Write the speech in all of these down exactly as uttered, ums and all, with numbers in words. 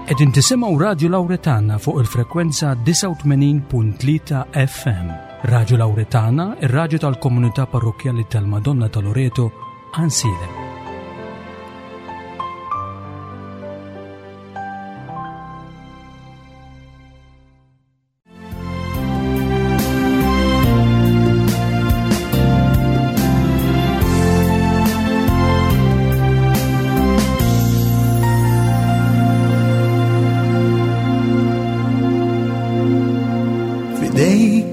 Qegħdin tisimgħu Radio Lauretana fuq il-frekwenza disgħa u tmenin punt tlieta F M. Radio Lauretana, ir-radju tal-Komunità Parrokkjali tal-Madonna ta' Loreto, Għajnsielem. Fidejk,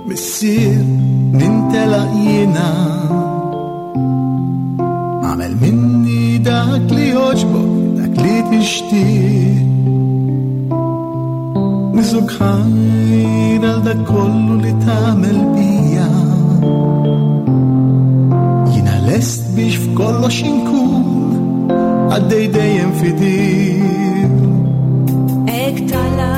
missier, nintelaq jiena. Għamel minni dak li jogħġbok, dak li tixtieq. Niżuk ħajr għal dak kollu li tagħmel bija. Jiena lest biex f'kollox inkun għaddej dejjem fidil. Hekk tala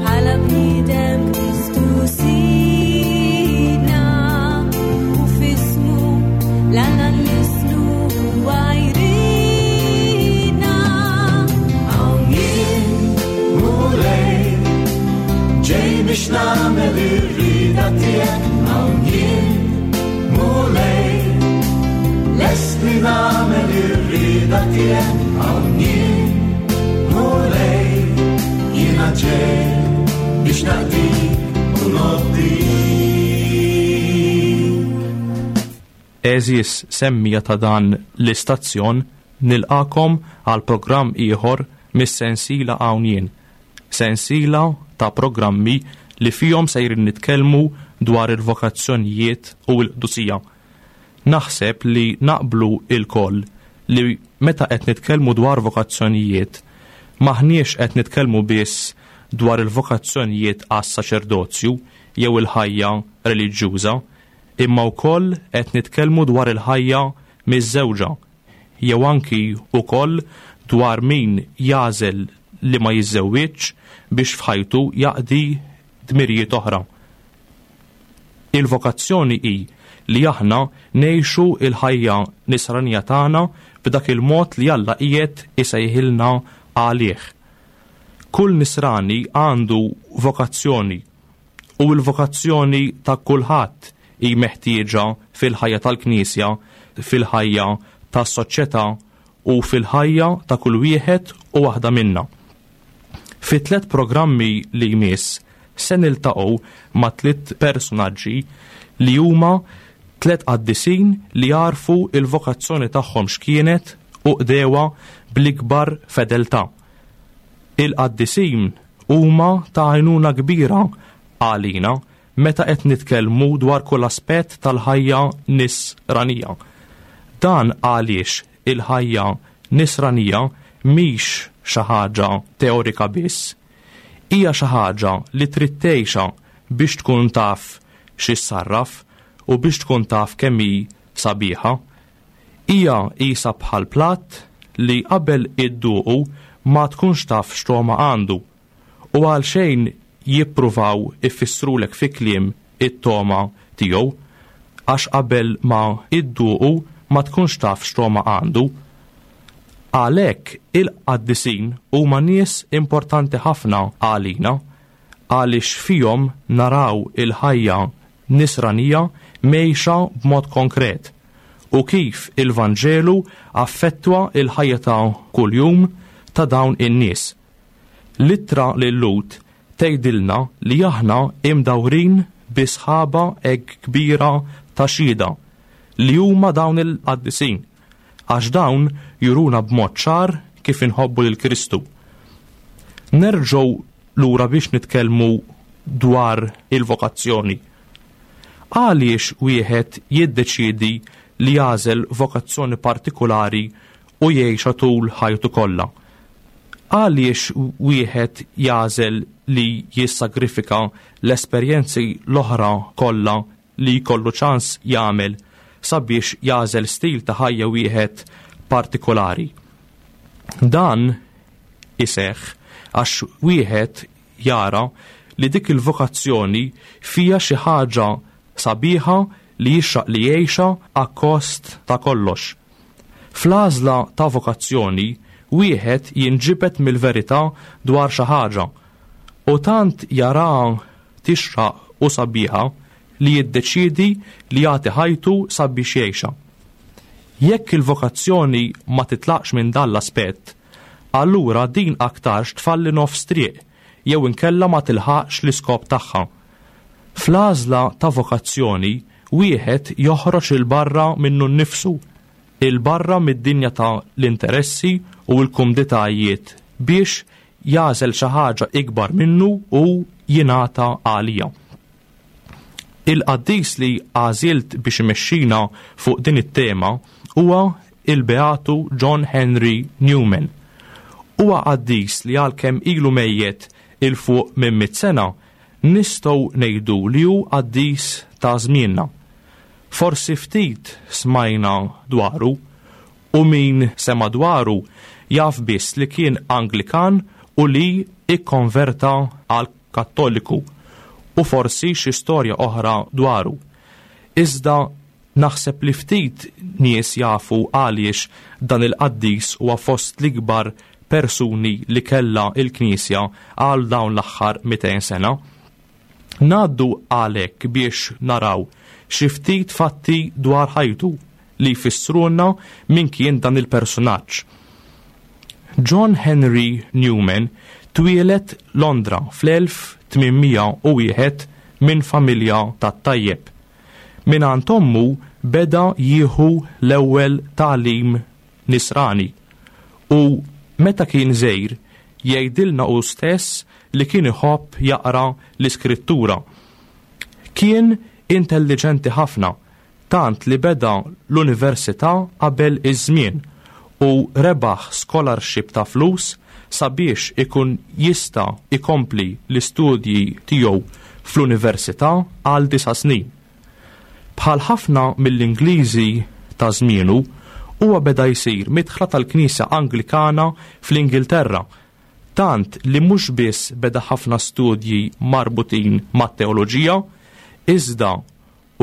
bħala bniedem Kristu Sidna, u f'ismu l-Alla nlisnu għajrina. Hawn jien, Mulej, ġej biex nagħmel ir-rieda tiegħek. Hawn jien, Mulej, lest li nagħmel ir-rieda tiegħek. Hawn jien, Mulej, jiena ġej biex naqdik u nobdik. Għeżież semmija ta' dan l-istazzjon, nilqakom għal programm ieħor mis-sensiela Hawn Jien. Sensiela ta' programmi li fihom sejrin nitkellmu dwar il-vokazzjonijiet u l-qdusija. Naħseb li naqblu il-koll li meta qed nitkellmu dwar vokazzjonijiet, maħniex qed nitkellmu biss dwar il-vokazzjonijiet għas-saċerdozju jew il-ħajja reliġjuża, imma wkoll qed nitkellmu dwar il-ħajja miż-żewġa, jew anki wkoll dwar min jagħżel li ma jiżżewwiġx biex f'ħajtu jaqdi dmirijiet oħra. Il-vokazzjoni hi li aħna ngħixu il-ħajja nisranija tagħna b'dak il-mod li Alla qiegħed isejħilna għalih. Kull nisrani għandu vokazzjoni, u l-vokazzjoni ta' kulħadd hi meħtieġa fil-ħajja tal-Knisja, fil-ħajja tas-soċjetà u fil-ħajja ta' kull wieħed u waħda minna. Fi tliet programmi li jmiss se niltaqgħu ma' tliet personaġġi li huma tliet qaddisin li għarfu il-vokazzjoni tagħhom x'kienet u qdewha bl-ikbar fedeltà. Il-qaddisin huma ta' għajnuna kbira għalina meta qed nitkellmu dwar kull aspett tal-ħajja nisranija. Dan għaliex il-ħajja nisranija mhix xi ħaġa teorika biss, hija xi ħaġa li trid tgħixha biex tkun taf xi ssarraf u biex tkun taf kemm hi sabiħa. Hija qisha bħal platt li qabel idduqu ma tkunx taf x'togħma għandu, u għal xejn jippruvaw ifissrulek fi kliem it-togħma tiegħu, għax qabel ma idduqu ma tkunx taf x'togħma għandu. Għalhekk il-qaddisin huma nies importanti ħafna għalina, għaliex fihom naraw il-ħajja nisranija mejxa b'mod konkret u kif il-Vanġelu affettwa il-ħajja ta' kuljum ta' dawn in-nies. L-ittra lil Lhud tgħidilna li aħna imdawrin bi sħaba hekk kbira ta' xhieda li huma dawn il-qaddisin, għax dawn juruna b'mod ċar kif inħobbu lil Kristu. Nerġgħu lura biex nitkellmu dwar il-vokazzjoni. Għaliex wieħed jiddeċiedi li jagħżel vokazzjoni partikolari u jgħixha tul ħajtu kollha? Għaliex wieħed jagħżel li jissagrifika l-esperjenzi l-oħra kollha li jkollu ċans jagħmel sabiex jagħżel stil ta' ħajja wieħed partikolari? Dan iseħħ għax wieħed jara li dik il-vokazzjoni fija xi ħaġa sabiħa li jixraq li jgħixha akkost ta' kollox. Fl-għażla ta' vokazzjoni wieħed jinġibed mill-verità dwar xi ħaġa u tant jaraha tixraq u sabiħa li jiddeċiedi li jagħti ħajtu sabiex jgħixha. Jekk il-vokazzjoni ma titlaqx minn dan l-aspett, allura din aktarx tfalli nofs triq jew inkella ma tilħaqx l-iskop tagħha. Fl-għażla ta' vokazzjoni wieħed joħroġ 'il barra minnu nnifsu, 'il barra mid-dinja ta' l-interessi u l-kumditajiet biex jagħżel xi ħaġa ikbar minnu u jingħata għalija. Il-qaddis li għażilt biex imexxina fuq din it-tema huwa il-Beatu John Henry Newman. Huwa qaddis li għalkemm ilu mejjet 'il fuq minn mitt sena, nistgħu ngħidu li hu qaddis ta' żmienna. Forsi ftit smajna dwaru u min sema dwaru jaf biss li kien Anglikan u li ikkonverta għal Kattoliku u forsi xi storja oħra dwaru. Iżda naħseb li ftit nies jafu għaliex dan il-qaddis huwa fost l-ikbar persuni li kellha il-Knisja għal dawn l-aħħar mitejn sena. Ngħaddu għalhekk biex naraw xi ftit fatti dwar ħajtu li jfissrulna min kien dan il-personaġġ. John Henry Newman twieled Londra fl-elf tmien mija u wieħed minn familja tat-tajjeb. Mingħand ommu beda jieħu l-ewwel tagħlim nisrani u meta kien żgħir jgħidilna hu stess li kien iħobb jaqra l-iskrittura. Kien intelligenti ħafna, tant li beda l-università qabel iż-żmien u rebaħ scholarship ta' flus sabiex ikun jista' ikompli l-istudji tiegħu fl-università għal disa' snin. Bħal ħafna mill-Ingliżi ta' żmienu, huwa beda jsir midħla tal-Knisja Anglikana fl-Ingilterra, tant li mhux biss beda ħafna studji marbutin mat-teoloġija, iżda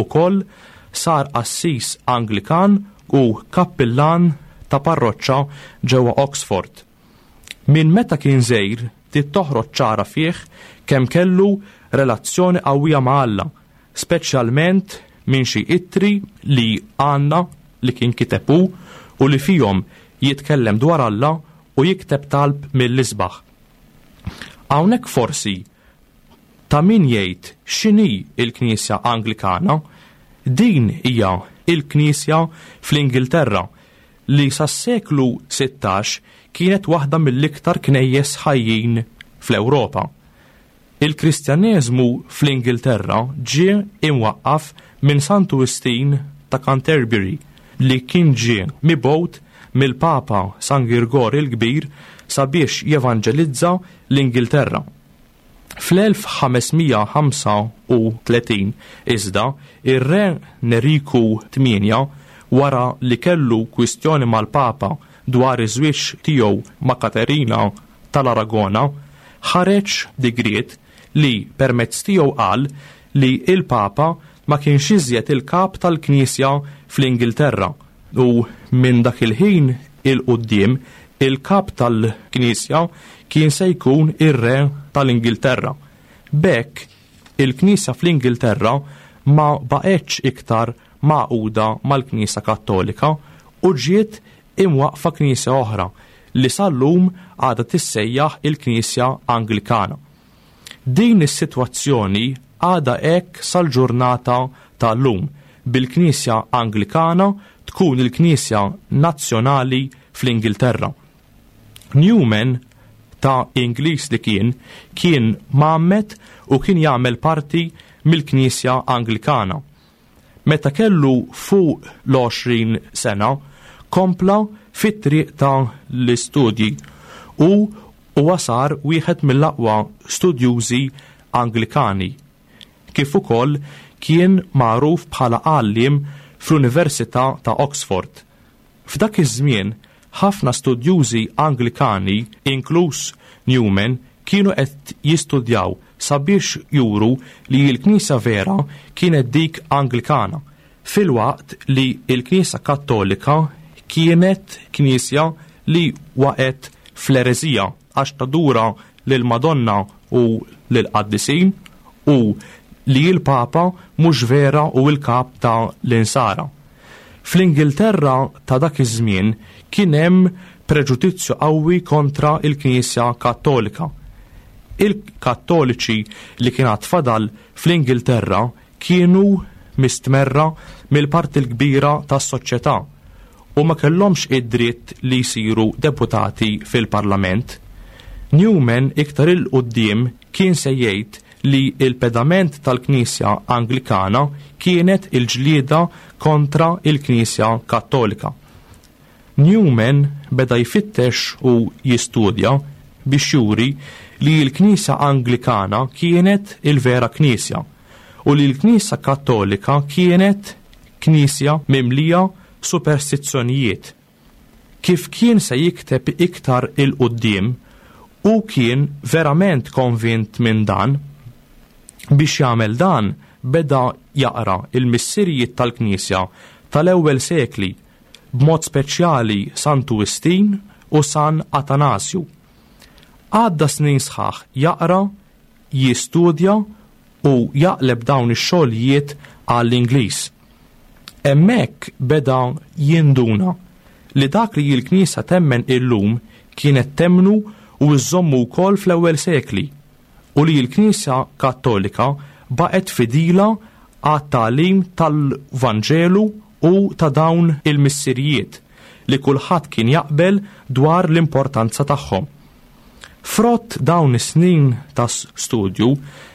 ukoll sar qassis Anglikan u kappillan ta' parroċċa ġewwa Oxford. Minn meta kien żgħir bdiet toħroġ ċara fih kemm kellu relazzjoni qawwija ma' Alla, speċjalment minn xi ittri li għandna li kien kiteb hu u li fihom jitkellem dwar Alla u jikteb talb mill-isbaħ. Hawnhekk forsi ta' min jgħid x'inhi il-Knisja Anglikana. Din hija il-Knisja fl-Ingilterra li sas-seklu sittax kienet waħda mill-iktar knejjes ħajjin fl-Ewropa. Il-Kristjaneżmu fl-Ingilterra ġie imwaqqaf minn Santu Wistin ta' Canterbury li kien ġie mibgħut mill-Papa San Girgor il-Kbir sabiex jevanġelizza l-Ingilterra. Fl-elf ħames mija ħamsa u tletin iżda ir-re Neriku tmienja, wara li kellu kwistjoni mal-Papa dwar iż-żwieġ tiegħu ma' Katerina tal-Aragona, ħareġ digriet li permezz tiegħu qal li il-Papa ma kienx iżjed il-kap tal-Knisja fl-Ingilterra u minn dak il-ħin il-quddiem il-kap tal-Knisja kien se jkun ir-re tal-Ingilterra. B'hekk il-Knisja fl-Ingilterra ma baqgħetx iktar magħquda mal-Knisja Kattolika u ġiet imwaqfa Knisja oħra li sal-lum għadha tissejjaħ il-Knisja Anglikana. Din is-sitwazzjoni għadha hekk sal-ġurnata tal-lum, bil-Knisja Anglikana tkun il-Knisja Nazzjonali fl-Ingilterra. Newman, ta' Ingliż li kien, kien mgħammed u kien jagħmel parti mill-Knisja Anglikana. Meta kellu fuq l-għoxrin sena, kompla fit-triq ta' l-istudji u huwa sar wieħed mill-aqwa studjużi Anglikani. Kif ukoll kien magħruf bħala għalliem fl-Università ta' Oxford. F'dak iż-żmien, ħafna studjużi Anglikani, inkluż Newman, kienu qed jistudjaw sabiex juru li l-Knisja vera kienet dik Anglikana, filwaqt li l-Knisja Kattolika kienet knisja li waqgħet fl-ereżija għax tadura lil Madonna u lil qaddisin u li l-Papa mhux vera u l-kap ta' l-insara. Fl-Ingilterra ta' dak iż-żmien kien hemm preġudizzju qawwi kontra il-Knisja Kattolika. Il-Kattoliċi li kien għad fadal fl-Ingilterra kienu mistmerra mill-parti l-kbira tas-soċjetà u ma kellhomx id-dritt li jsiru deputati fil-Parlament. Newman iktar 'il quddiem kien se jgħid li il-pedament tal-Knisja Anglikana kienet il-ġlieda kontra il-Knisja Kattolika. Newman beda jfittex u jistudja biex juri li l-Knisja Anglikana kienet il-vera Knisja u li l-Knisja Kattolika kienet Knisja mimlija superstizzjonijiet. Kif kien se jikteb iktar 'il quddiem, u kien verament konvint minn dan. Biex jagħmel dan, beda jaqra il-missirijiet tal-Knisja tal-ewwel sekli, b'mod speċjali Santu Wistin u San Atanasju. Għadda snin sħaħ jaqra, jistudja u jaqleb dawn ix-xogħlijiet għall-Ingliż. Hemmhekk beda jinduna li dak li l-Knisja temmen illum kienet temmnu u żżommu wkoll fl-ewwel sekli u li l-Knisja Kattolika baqgħet fidila għat-tagħlim tal-Vanġelu u ta' dawn il-missirijiet li kulħadd kien jaqbel dwar l-importanza tagħhom. Frott dawn is-snin ta' studju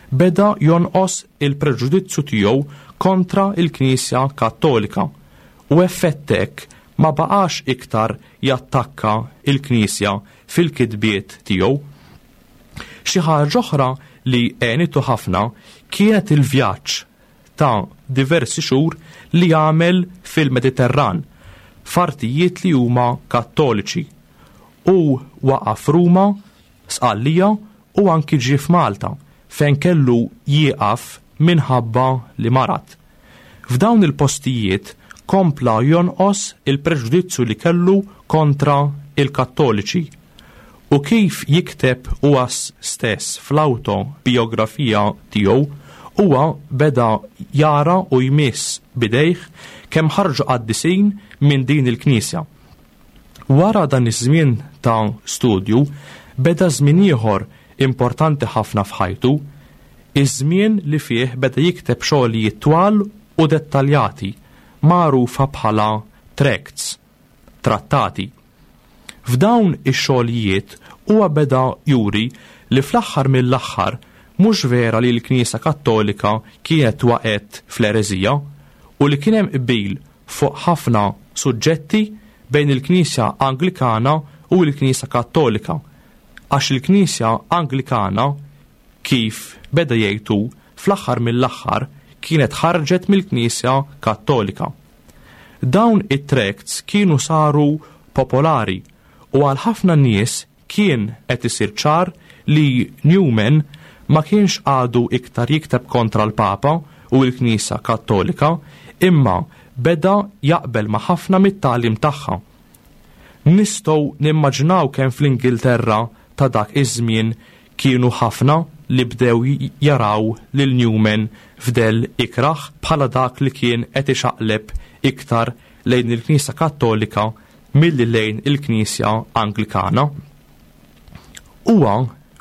beda jonqos il-preġudizzju tiegħu kontra il-Knisja Kattolika u effett hekk ma baqax iktar jattakka il-Knisja fil-kitbiet tiegħu. Xi ħaġa oħra li għenitu ħafna kienet il-vjaġġ ta' diversi xhur li għamel fil-Mediterran f'artijiet li huma kattoliċi u waqaf Ruma, Sqallija u anki ġie f'Malta fejn kellu jieqaf minħabba li marad. F'dawn il-postijiet kompla jonqos il-preġudizzju li kellu kontra il-Kattoliċi. U kif jikteb huwa stess fl-autobiografija tiegħu, huwa beda jara u jmiss bidejh kemm ħarġu qaddisin minn din il-Knisja. Wara dan iż-żmien ta' studju, beda żmien ieħor importanti ħafna f'ħajtu, iż-żmien li fih beda jikteb xogħlijiet twal u dettaljati, magħrufa bħala tracts, trattati. F'dawn ix-xogħlijiet huwa beda juri li fl-aħħar mill-aħħar mhux vera li l-Knisja Kattolika kienet waqgħet fl-ereżija u li kien hemm qbil fuq ħafna suġġetti bejn il-Knisja Anglikana u l-Knisja Kattolika, għax il-Knisja Anglikana, kif beda jgħidu, fl-aħħar mill-aħħar kienet ħarġet mill-Knisja Kattolika. Dawn it-tracts kienu saru popolari u għal ħafna nies kien qed isir ċar li Newman ma kienx għadu iktar jikteb kontra l-Papa u l-Knisja Kattolika, imma beda jaqbel ma' ħafna mit-tagħlim tagħha. Nistgħu nimmaġinaw kemm fl-Ingilterra ta' dak iż-żmien kienu ħafna li bdew jaraw lil Newman f'dell ikraħ bħala dak li kien qed ixaqleb iktar lejn il-Knisja Kattolika milli lejn il-Knisja Anglikana. Huwa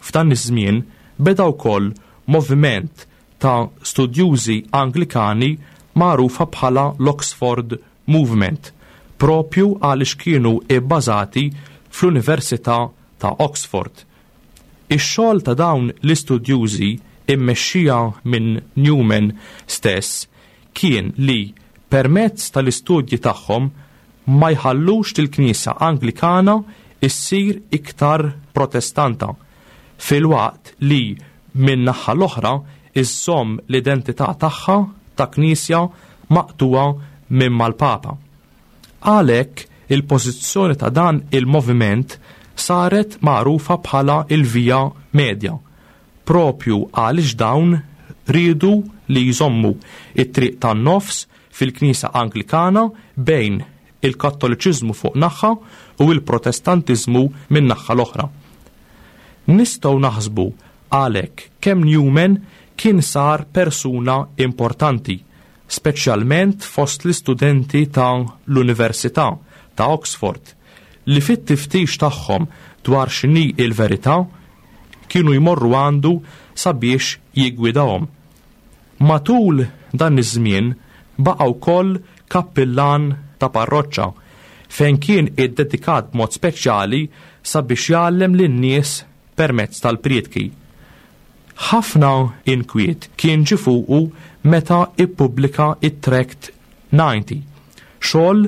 f'dan iż-żmien beda wkoll moviment ta' studjużi Anglikani magħrufa bħala l-Oxford Movement, propju għaliex kienu ibbażati fl-Università ta' Oxford. Ix-xogħol ta' dawn l-istudjużi immexxija minn Newman stess kien li permezz tal-istudji tagħhom ma jħallux il-Knisja Anglikana issir iktar protestanta, filwaqt li minn naħa l-oħra iżżomm l-identità tagħha ta' Knisja maqtuwa minn mal-Papa. Għalhekk il-pożizzjoni ta' dan il-moviment saret magħrufa bħala il-Via Media, propju għaliex dawn riedu li jżommu it-triq tan-nofs fil-Knisja Anglikana bejn il-Kattoliċiżmu fuq naħa u il-Protestantiżmu minn naħa l-oħra. Nistgħu naħsbu għalhekk kemm Newman kien sar persuna importanti, speċjalment fost l-istudenti ta' l-Università ta' Oxford, li fit-tiftix tagħhom dwar x'inhi il-verità kienu jmorru għandu sabiex jiggwidahom. Matul dan iż-żmien baqa' wkoll kappillan ta' parroċċa fejn kien iddedikat b'mod speċjali sabiex jgħallem lin-nies permezz tal-prietki. Ħafna inkwiet kien ġie fuqu meta ippubblika it-Tract disgħin, xogħol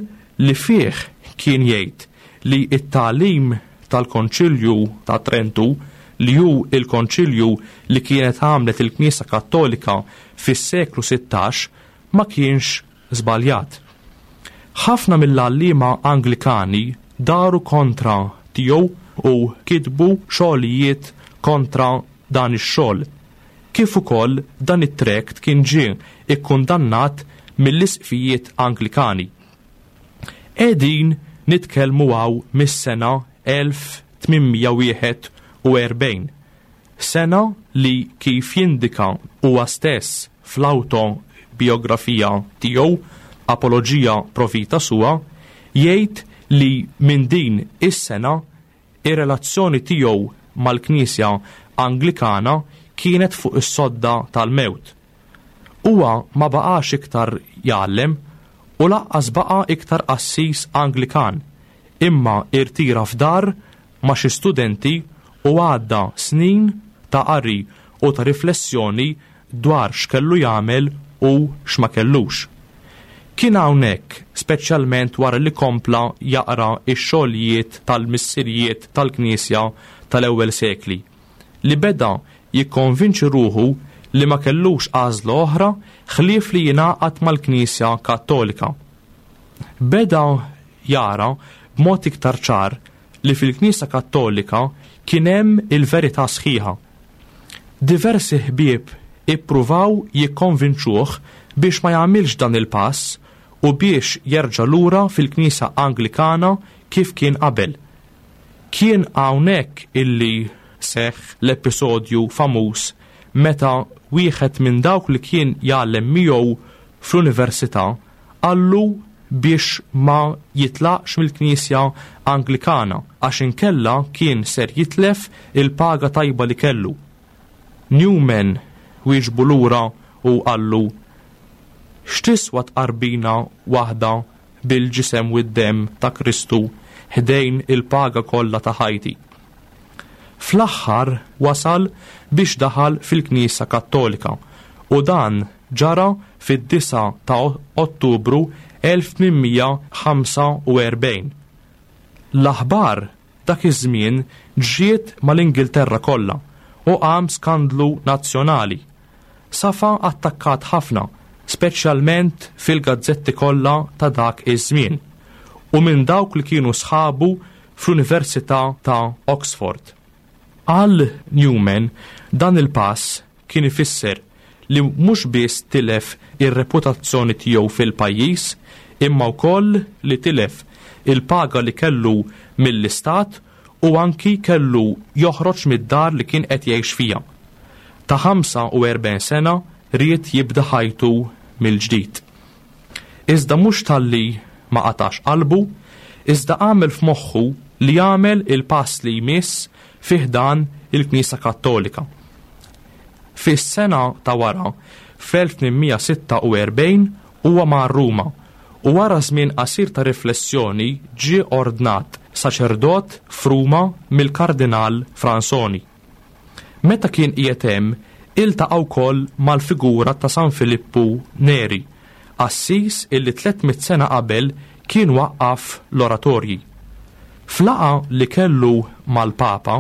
li fih kien jgħid li t-tagħlim tal-Konċilju ta' Trentu, li hu il-konċilju li kienet għamlet il-Knisja Kattolika fis-seklu sittax, ma kienx żbaljat. Ħafna mill-għalliema Anglikani daru kontra tiegħu u kitbu xogħlijiet kontra dan ix-xogħol. Kif ukoll dan it-tract kien ġie ikkundannat mill-isqfijiet Anglikani. Qegħdin nitkellmu hawn mis-sena elf tmien mija wieħed u erbgħin, sena li kif jindika huwa stess fl-autobiografija tiegħu Apologia Pro Vita Sua, jgħid li minn din is-sena ir-relazzjoni tiegħu mal-Knisja Anglikana kienet fuq is-sodda tal-mewt. Huwa ma baqax iktar jgħallem u lanqas baqa' iktar qassis Anglikan, imma irtira f'dar ma' xi studenti u għadda snin ta' qari u ta' riflessjoni dwar x'kellu jagħmel u x'ma kellux. Kien hawnhekk, speċjalment wara li kompla jaqra x-xogħlijiet tal-missirijiet tal-Knisja tal-ewwel sekli, li beda jikkonvinċi ruħu li ma kellux għażla oħra ħlief li jingħaqad mal-Knisja Kattolika. Beda jara b'mod iktar ċar li fil-Knisja Kattolika kien hemm il-verità sħiħa. Diversi ħbieb ippruvaw jikkonvinċuh biex ma jagħmilx dan il-pass u biex jerġa' lura fil-Knisja Anglikana kif kien qabel. Kien hawnhekk illi seħħ l-episodju famuż meta wieħed minn dawk li kien jgħallem miegħu fl-università qallu biex ma jitlaqx mill-Knisja Anglikana għax inkella kien ser jitlef il-paga tajba li kellu. Newman wieġbu lura u qallu: X'tiswa tqarbina waħda bil-ġisem u d-demm ta' Kristu ħdejn il-paga kollha ta' ħajti? Fl-aħħar wasal biex daħal fil-Knisja Kattolika u dan ġara fid-disgħa ta' Ottubru elf tmien mija ħamsa u erbgħin. L-aħbar dak iż-żmien ġiet mal-Ingilterra kollha u qam skandlu nazzjonali. Safa attakkat ħafna, speċjalment fil-gazzetti kollha ta' dak iż-żmien u minn dawk li kienu sħabu fl-Università ta' Oxford. Għal Newman dan il-pass kien ifisser li mhux biss tilef ir-reputazzjoni tiegħu fil-pajjiż, imma wkoll li tilef il-paga li kellu mill-istat u anki kellu joħroġ mid-dar li kien qed jgħix fiha. Ta' ħamsa u erbgħin sena ried jibda ħajtu mill-ġdid. Iżda mhux talli ma qatax qalbu, iżda għamel f'moħħu li jagħmel il-pass li jmiss fi ħdan il-Knisja Kattolika. Fis-sena ta' wara, fl-elf tmien mija sitta u erbgħin, huwa mar Ruma u wara żmien qasir ta' riflessjoni ġie ordnat saċerdot f'Ruma mill-Kardinal Fransoni. Meta kien qiegħed hemm, iltaqa' wkoll mal-figura ta' San Filippu Neri, qassis illi tliet mitt sena qabel kien waqqaf l-oratorji. F'laqgħa li kellu mal-Papa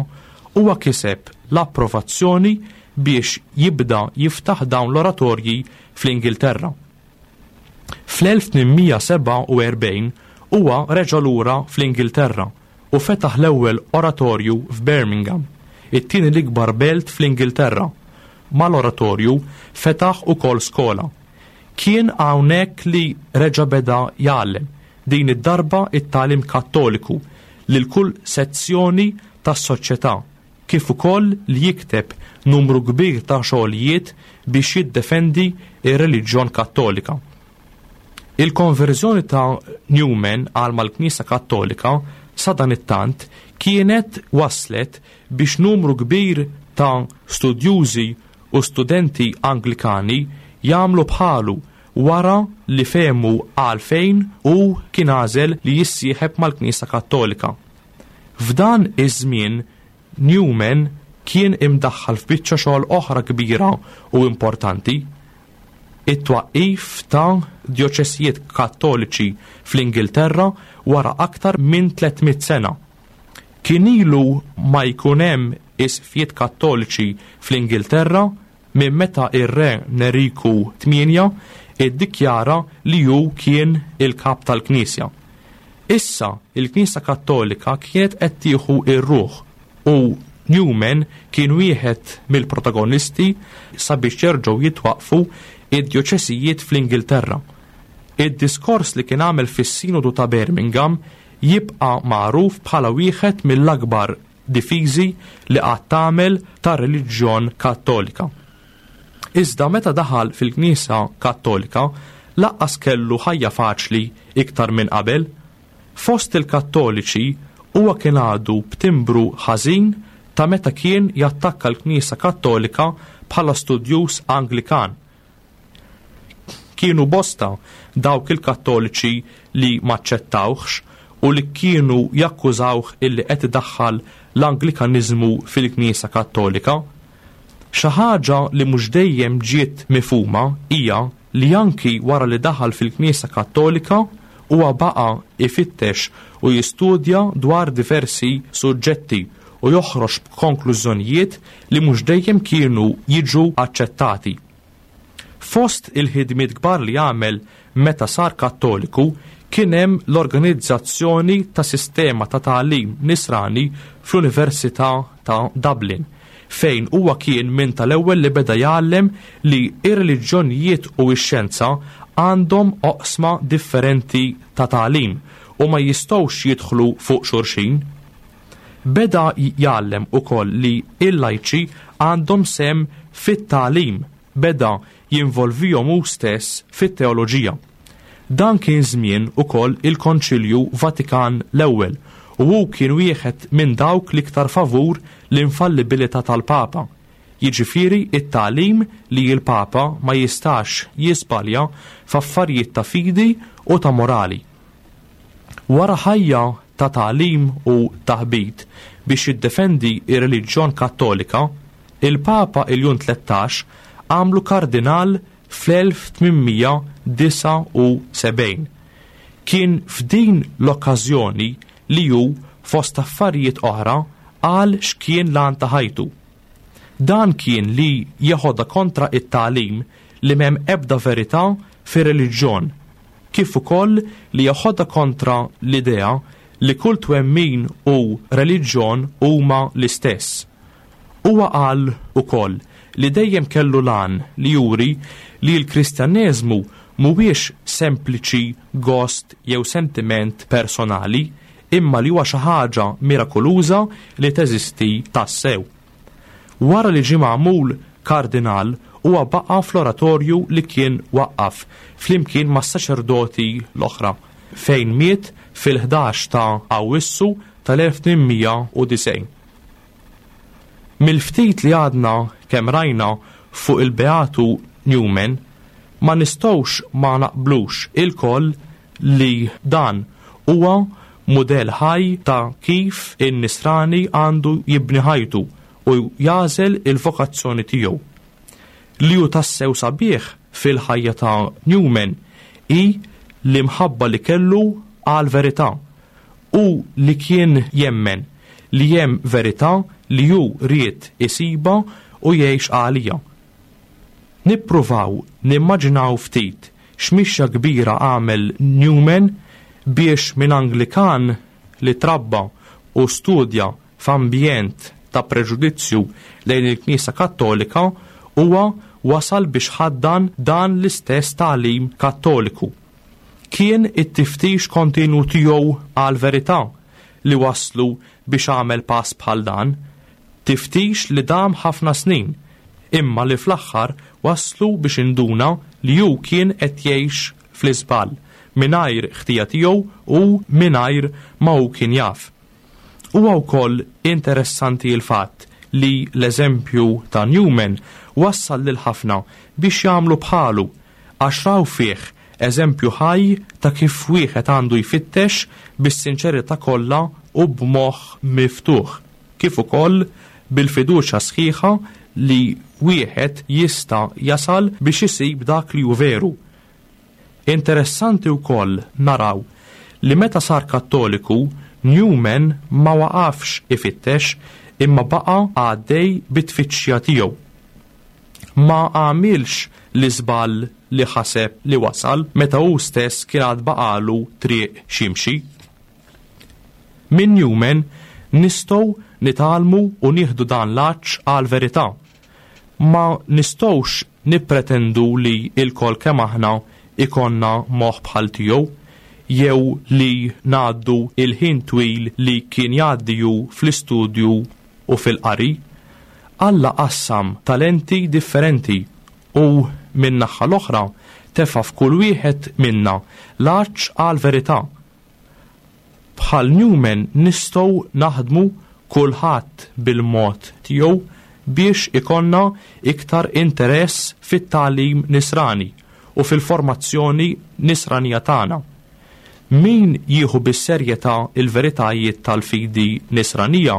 huwa kiseb l-approvazzjoni biex jibda jiftaħ dawn l-oratorji fl-Ingilterra. Fl-elf tmien mija sebgħa u erbgħin huwa reġa' lura fl-Ingilterra u fetaħ l-ewwel oratorju f'Birmingham, it-tieni l-ikbar belt fl-Ingilterra. Mal-oratorju fetaħ ukoll skola. Kien hawnhekk li reġa' beda jgħallem, din id-darba it-tagħlim Kattoliku lil kull sezzjoni tas-soċjetà, kif ukoll li jikteb numru kbir ta' xogħlijiet biex jiddefendi ir-reliġjon Kattolika. Il-konverżjoni ta' Newman għal mal-Knisja Kattolika sadanittant kienet waslet biex numru kbir ta' studjużi u studenti Anglikani jagħmlu bħalu wara li fehmu għalfejn u kien għażel li jissieħeb mal-Knisja Kattolika. F'dan iż-żmien Newman kien imdaħħal f'biċċa xogħol oħra kbira u importanti, it-twaqqif ta' djoċesijiet Kattoliċi fl-Ingilterra wara aktar minn tliet mitt sena. Kien ilu ma jkun hemm isqfijiet Kattoliċi fl-Ingilterra minn meta ir-re Neriku tmienja iddikjara li hu kien il-kap tal-Knisja. Issa il-Knisja Kattolika kienet qed tieħu r-ruħ u Newman kien wieħed mill-protagonisti sabiex jerġgħu jitwaqfu id-djoċesijiet fl-Ingilterra. Id-diskors li kien għamel fis-Sinodu ta' Birmingham jibqa' magħruf bħala wieħed mill-akbar difiżi li qatt tagħmel tar-reliġjon Kattolika. Iżda meta daħal fil-Knisja Kattolika, laqqas kellu ħajja faċli iktar minn qabel. Fost il-Kattoliċi huwa kien għadu b'timbru ħażin ta' meta kien jattakka l-Knisja Kattolika bħala studjuż Anglikan. Kienu bosta dawk il-Kattoliċi li maċċettawhx u li kienu jakkużawh illi qed idaħħal l-Anglikanizmu fil-Knisja Kattolika. Xi ħaġa li mhux dejjem ġiet mifhuma hija li anki wara li daħal fil-Knisja Kattolika huwa baqa' ifittex u jistudja dwar diversi suġġetti u joħroġ b'konklużjonijiet li mhux dejjem kienu jiġu aċċettati. Fost il-ħidmiet kbar li għamel meta sar Kattoliku kien hemm l-organizzazzjoni ta' sistema ta' tagħlim nisrani fl-Università ta' Dublin, fejn huwa kien minn tal-ewwel li beda jgħallem li ir-reliġjonijiet u x-xjenza għandhom oqsma differenti ta' tagħlim u ma jistgħux jidħlu fuq xulxin. Beda jgħallem ukoll li il-lajċi għandhom sem fit-tagħlim, beda jinvolvihom hu stess fit-teoloġija. Dan kien żmien ukoll il-Konċilju Vatikan l-ewwel u hu kien wieħed minn dawk l-iktar favur l-infallibilità tal-Papa, jiġifieri it-tagħlim li l-Papa ma jistax jiżbalja f'affarijiet ta' fidi u ta' morali. Wara ħajja ta' tagħlim u taħbit biex jiddefendi ir-reliġjon Kattolika, il-Papa Iljun tlettax għamlu kardinal fl-elf tmien disa' u sebgħin. Kien f'din l-okkażjoni li hu fost affarijiet oħra qal x'kien l-għan ta' ħajtu. Dan kien li jeħodha kontra it-tagħlim li m'hemm ebda verità fir-reliġjon, kif ukoll li jeħodha kontra l-idea li kull twemmin u reliġjon huma l-istess. Huwa qal ukoll li dejjem kellu l-għan li juri li l-Kristjaneżmu mhuwiex sempliċi gost jew sentiment personali, imma li huwa xi ħaġa mirakoluża li teżisti tassew. Wara li ġie magħmul kardinal, huwa baqa' fl-oratorju li kien waqqaf flimkien mas-saċerdoti l-oħra, fejn miet fil-ħdax ta' Awwissu tal-elf tmien mija u disgħin. Mill-ftit li għadna kemm rajna fuq il-Beatu Newman, ma nistgħux ma naqblux ilkoll li dan huwa mudell ħaj ta' kif in-nisrani għandu jibni ħajtu u jażel il-vokazzjoni tiegħu. Li hu tassew sabiħ fil-ħajja ta' Newman hi l-imħabba li kellu għal verità u li kien jemmen li hemm verità li hu ried isiba u jgħix għalija. Nippruvaw nimmaġinaw ftit x'mixja kbira għamel Newman biex minn Anglikan li trabba u studja f'ambjent ta' preġudizzju lejn il-Knisja Kattolika huwa wasal biex ħaddan dan l-istess tagħlim Kattoliku. Kien it-tiftix kontinu tiegħu għal-verità li waslu biex għamel pass bħal dan, tiftix li dam ħafna snin, imma li fl-aħħar waslu biex induna li hu kien qed jgħix fl-iżball, mingħajr ħtija tiegħu u mingħajr ma hu kien jaf. Huwa wkoll interessanti l-fatt li l-eżempju ta' Newman wassal lil ħafna biex jagħmlu bħalu, għax raw fih eżempju ħaj ta' kif wieħed għandu jfittex bis-sinċerità kollha u b'moħħ miftuħ, kif ukoll bil-fiduċja sħiħa li wieħed jista' jasal biex isib dak li hu veru. Interessanti wkoll naraw li meta sar Kattoliku, Newman ma waqafx ifittex imma baqa' għaddej bit-tfittxija tiegħu. Ma għamilx l-iżball li ħaseb li wasal meta hu stess kien għad baqalu triq x'jimxi. Minn Newman nistgħu nitgħallmu u nieħdu dan l-għatx għal-verità. Ma nistgħux nippretendu li lkoll kemm aħna ikollna moħħ bħal tiegħu jew li ngħaddu il-ħin twil li kien jgħaddi hu fl-istudju u fil-qari. Alla qassam talenti differenti u min-naħa l-oħra tefa' f'kull wieħed minna l-għatx għal-verità. Bħal Newman nistgħu naħdmu kulħadd bil-mod tiegħu biex ikollna iktar interess fit-tagħlim nisrani u fil-formazzjoni nisranija tagħna. Min jieħu bis-serjetà il-veritajiet tal-fidi nisranija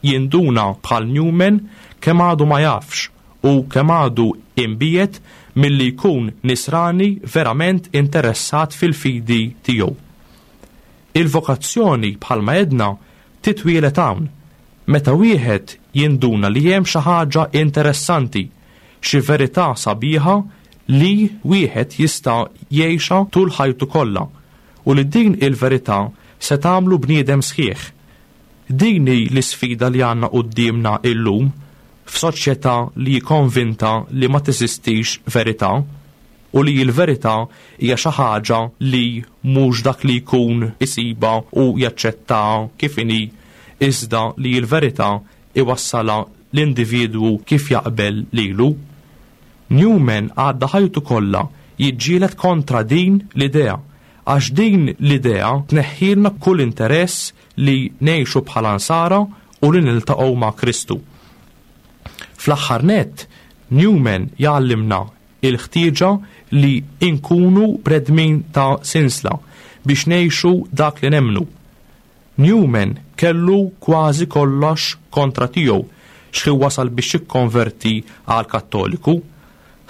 jinduna bħal Newman kemm għadu ma jafx u kemm għadu imbiegħed milli jkun nisrani verament interessat fil-fidi tiegħu. Il-vokazzjoni bħalma għedna titwielet hawn, meta wieħed jinduna li hemm xi ħaġa interessanti, xi verità sabiħa li wieħed jista' jgħixha tul ħajtu kollha u li din il-verità se tagħmlu bniedem sħiħ. Din hi l-isfida li għandna quddiemna illum f'soċjetà li konvinta li ma teżistix verità u li l-verità hija xi ħaġa li mhux dak li jkun isibha u jaċċettaha kif inhi, iżda li l-verità iwassalha l-individwu kif jaqbel lilu. Newman għadda ħajtu kollha jiġġieled kontra din l-idea, għax din l-idea tneħħilna kull interess li ngħixu bħala nsara u li niltaqgħu ma' Kristu. Fl-aħħar nett, Newman jgħallimna il-ħtieġa li inkunu bnedmin ta' sinsla biex ngħixu dak li nemmnu. Newman kellu kważi kollox kontra tiegħu x'ħin wasal biex jikkonverti għal Kattoliku.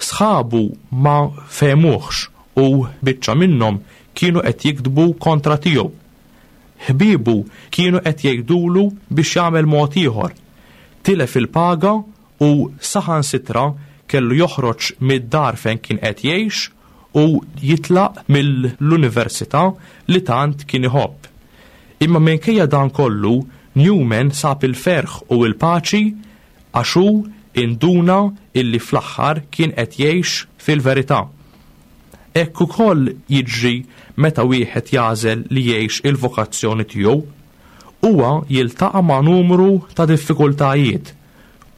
Sħabu ma fehmuhx u biċċa minnhom kienu qed jiktbu kontra tiegħu. Ħbiebu kienu qed jgħidulu biex jagħmel mod ieħor. Tilef il-paga u saħansitra kellu joħroġ mid-dar fejn kien qed jgħix u jitlaq mill-università li tant kien iħobb. Imma minkejja dan kollu, Newman sab il-ferħ u l-paċi għax hu induna illi fl-aħħar kien qed jgħix fil-verità. Hekk ukoll jiġri meta wieħed jagħżel li jgħix il-vokazzjoni tiegħu. Huwa jiltaqa' ma' numru ta' diffikultajiet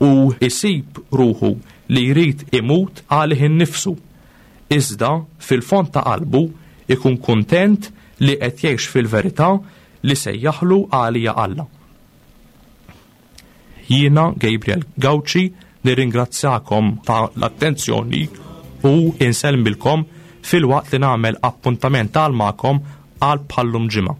u jsib ruħu li jrid imut għalih innifsu. Iżda fil-fond ta' qalbu ikun kuntent li qed jgħix fil-verità li sejjaħlu għalija Alla. Jiena Gabriel Gauci nirringrazzjakom ta' l-attenzjoni u insellmilkom filwaqt li nagħmel appuntament għal magħkom għal bħallum ġimgħa.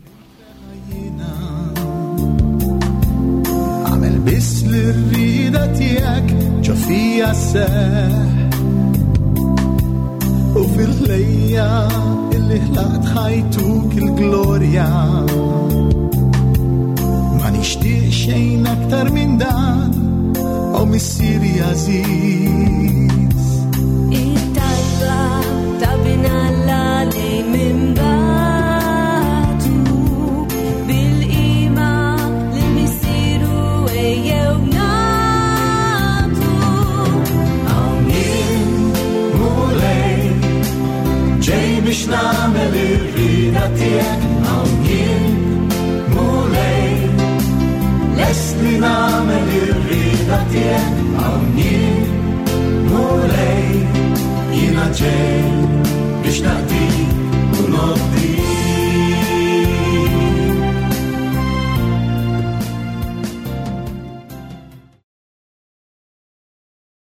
Għamel biss li rrida tiegħek ġo fija seħ u fil-ħlejja illi ħlaqt ħajtuk il-glorja. Ma nixtieq xejn aktar minn dan, o Missieri għażiż. It-talba ta' bin Alla li minn bagħtu bil-qima li Missieru ejjew nagħtu. Hawn jien, Mulej, ġej biex nagħmel Nagħmel ir-rieda tiegħek, hawn jien, Mulej, jiena ġej.